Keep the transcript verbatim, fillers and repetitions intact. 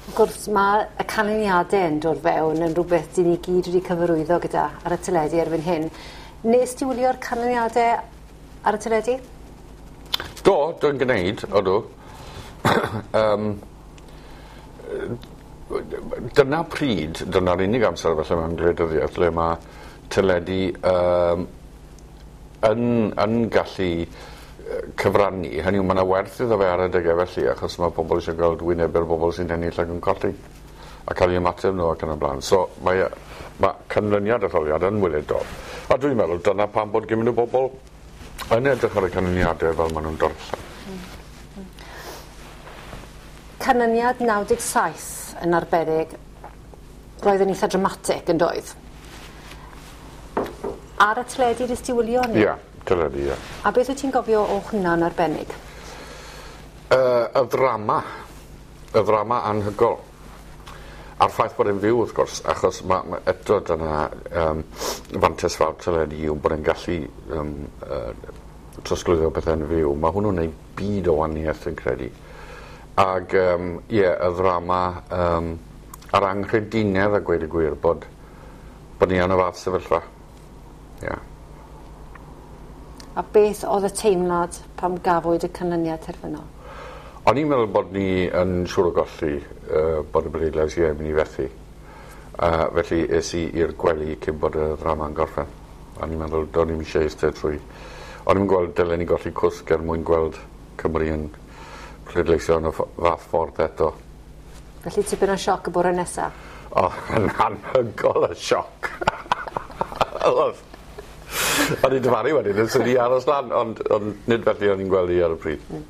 Wrth gwrs, mae y canlyniadau yn dod fewn yn rhywbeth dyn ni gyd wedi cyfarwyddo gyda ar y teledu erbyn hyn. Nes ti wylio'r canlyniadau ar y teledu? Do, dwi'n gwneud, odw. um, dyna pryd, dyna'r unig amser felly mewn gwleidyddiaeth le mae teledu um, yn, yn gallu cyfrannu. Hynny yw, mae yna werth iddo fe ar adegau felly, achos mae pobl eisiau gweld wynebu'r bobl sy'n ennill ac yn colli a cael eu ymateb nhw ac yn y blaen. So mae, mae canlyniad etholiad yn weledol. A dwi'n meddwl dyna pam bod gymaint o bobl yn edrych ar y canlyniadau fel maen nhw'n darllen. Canlyniad naw deg saith yn arbennig, roedd yn eitha dramatic yn doedd? Ar y teledu nes ti wylio hynny? Ie, teledu, ie. A beth wyt ti'n gofio o hwnna'n arbennig? Uh, y ddrama. Y ddrama anhygol. A'r ffaith bod e'n fyw, wrth gwrs, achos ma, ma, eto dyna um, fantes fawr teledu yw bod e'n gallu um, uh, trosglwyddo pethau'n fyw. Mae hwnnw'n gwneud byd o wahaniaeth, yn credu. Ag, um, ie, y ddrama um, a'r anghredinedd a gweud y gwir bod, bod ni yn y fath sefyllfa. Ie. Yeah. A beth oedd y teimlad pam gafwyd y canlyniad terfynol? O'n i'n meddwl bod ni yn siŵr o golli, uh, bod y bleidlais ie mynd i fethu. Uh, felly es i i'r gwely cyn bod y ddrama'n gorffen. O'n i'n meddwl, do'n i'm eisiau eistedd trwy. O'n i'n gweld dylen ni golli cwsg er mwyn gweld Cymru yn pleidleisio yn y fath ffordd eto. Felly tipyn o sioc y bore nesaf? O, yn anhygoel y sioc. Oedd. O'n i'n dyfaru wedyn, yn syni aros lan, ond, ond nid felly o'n i'n gweld i ar y pryd. Mm.